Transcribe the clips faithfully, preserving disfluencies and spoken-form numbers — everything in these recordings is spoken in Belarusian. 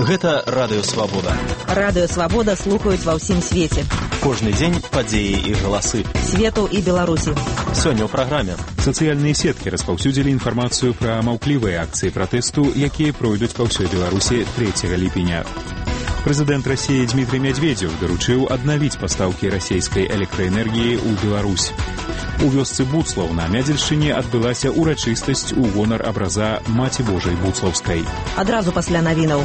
Гэта Радыё Свабода. Радыё Свабода слухаюць ва ўсім свеце. Кожны дзень падзеі і галасы. Свету і Беларусі. Сёння ў праграме. Сацыяльныя сеткі распаўсюдзілі інфармацыю пра маўклівыя акцыі пратэсту, якія пройдуць па ўсёй Беларусі трэцяга ліпеня. Прэзідэнт Расіі Дмітрый Мядзведзеў даручыў аднавіць пастаўкі расійскай электраэнергіі ў Беларусь. У вёсцы Буцлаў на Мядзельшчыне адбылася урачыстасць у гонар абраза Маці Божай Буцлаўскай. Адразу пасля навінаў.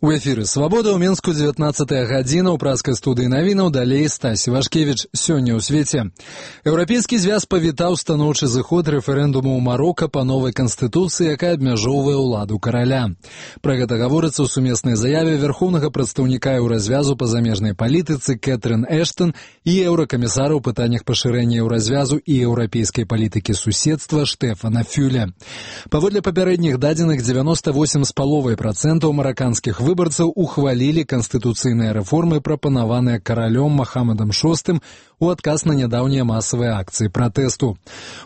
У эфіры «Свабода» ў Мінску дзевятнаццатая гадзіна, ў праскай студыі навінаў, далей Стасі Вашкевіч. Сёння ў свеце. Еўрапейскі звяз павітаў станоўчы зыход рэферэндуму ў Марока па новай канстытуцыі, якая абмяжоўвае ўладу караля. Пра гэта гаворыцца ў сумеснай заяве вярхоўнага прадстаўніка еўразвязу па замежнай палітыцы Кэтрын Эштон і еўракамісара ў пытаннях пашырэння еўразвязу і еўрапейскай палітыкі суседства Штэфана Фюля. Паводле папярэдніх дадзеных дзевяноста восем з паловай працэнтаў мараканскіх выбарцаў ухвалілі канстытуцыйныя рэформы, прапанаваныя каралём Махамадам шостым у адказ на нядаўнія масавыя акцыі пратэсту.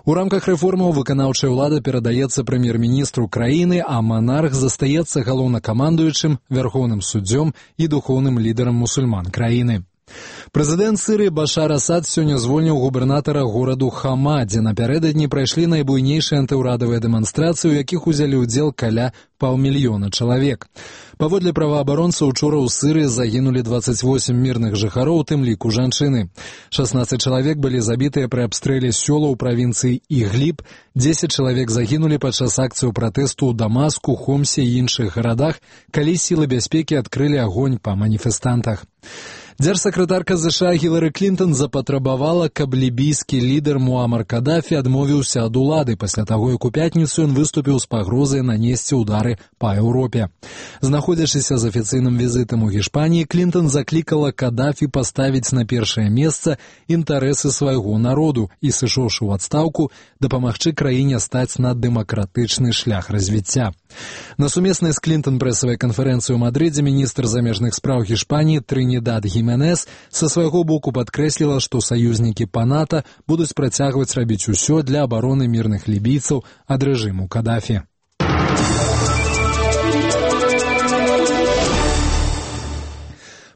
У рамках рэформаў выканаўчая ўлада перадаецца прэм'ер-міністру краіны, а манарх застаецца галоўнакамандуючым, вярхоўным суддзём і духоўным лідарам мусульман краіны. Прэзідэнт Сірыі Башар Асад сёння звольніў губернатара гораду Хама, дзе напярэдадні прайшлі найбуйнейшыя антыўрадавыя дэманстрацыі, у якіх узялі ўдзел каля паўмільёна чалавек. Паводле праваабаронцаў, учора ў Сірыі загінулі дваццаць восем мірных жыхароў, у тым ліку жанчыны. шаснаццаць чалавек былі забітыя пры абстрэле сёла ў правінцыі Ігліб, дзесяць чалавек загінулі падчас акцыяў пратэсту ў Дамаску, Хомсе і іншых гарадах, калі сілы бяспекі адкрылі агонь па маніфестантах. Дзяржсакратарка ЗША Гілары Клінтон запатрабавала, каб лібійскі лідар Муамар Кадафі адмовіўся ад улады пасля таго, як у пятніцу ён выступіў з пагрозай нанесці ўдары па Еўропе. Знаходзячыся з афіцыйным візітам у Гішпаніі, Клінтон заклікала Кадафі паставіць на першае месца інтарэсы свайго народу і, сышоўшы ў адстаўку, дапамагчы краіне стаць на дэмакратычны шлях развіцця. На сумеснай з Клінтон прэсавай канферэнцыі ў Мадрыдзе міністр замежных спраў Гішпаніі Трынідад Гіменес са свайго боку падкрэсліла, што саюзнікі па НАТО будуць працягваць рабіць усё для абароны мірных лібійцаў ад рэжыму Кадафі.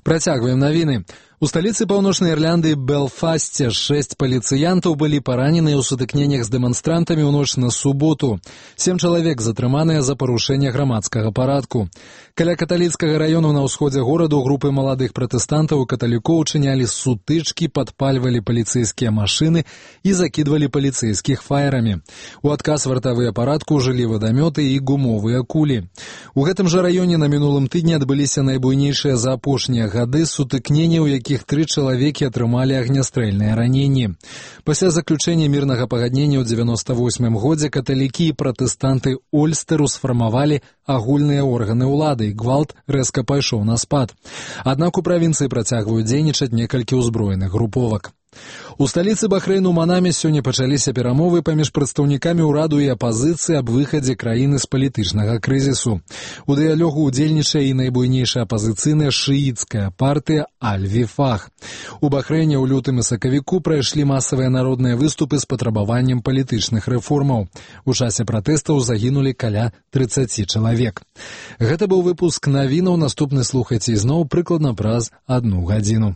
Працягваем навіны. У сталіцы Паўночнай Ірландыі Белфасце шэсць паліцыянтаў былі параненыя ў сутыкненнях з дэманстрантамі ў ноч на суботу. Сем чалавек затрыманыя за парушэнне грамадскага парадку. Каля каталіцкага раёну на ўсходзе гораду групы маладых пратэстантаў і каталікоў чынялі сутычкі, падпальвалі паліцэйскія машыны і закідвалі паліцэйскіх фаерамі. У адказ вартавыя парадку ўжылі вадамёты і гумовыя кулі. У гэтым жа раёне на мінулым тыдні адбыліся найбуйнейшыя за апошнія гады сутыкненні, у якіх якіх тры чалавекі атрымалі агнястрэльныя раненні. Пасля заключэння мірнага пагаднення ў дзевяноста восьмым годзе каталікі і пратэстанты Ольстэру сфармавалі агульныя органы ўлады, і гвалт рэзка пайшоў на спад. Аднак у правінцыі працягваюць дзейнічаць некалькі ўзброеных груповак. У сталіцы Бахрэйну Манаме сёння пачаліся перамовы паміж прадстаўнікамі ўраду і апазіцыі аб выхадзе краіны з палітычнага крызісу. У дыялогу ўдзельнічае і найбуйнейшая апазіцыйная шыіцкая партыя Аль-Віфах. У Бахрэйне ў лютым і сакавіку прайшлі масавыя народныя выступы з патрабаваннем палітычных рэформаў. У часе пратэстаў загінулі каля трыццаці чалавек. Гэта быў выпуск навінаў, наступны слухайце ізноў прыкладна праз адну гадзіну.